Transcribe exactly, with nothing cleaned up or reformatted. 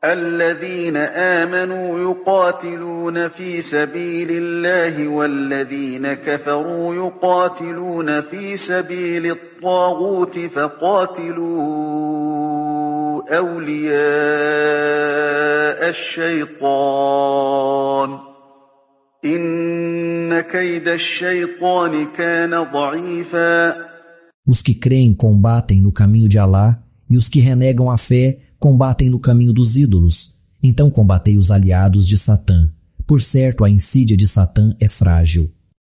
الذين آمنوا يقاتلون في سبيل الله والذين كفروا يقاتلون في سبيل الطاغوت فقاتلوا أولياء الشيطان إن كيد الشيطان كان ضعيفا. Os que creem combatem no caminho de Alá, e os que renegam a fé combatem no caminho dos ídolos. Então combatei os aliados de Satã. Por certo, a insídia de Satã é frágil.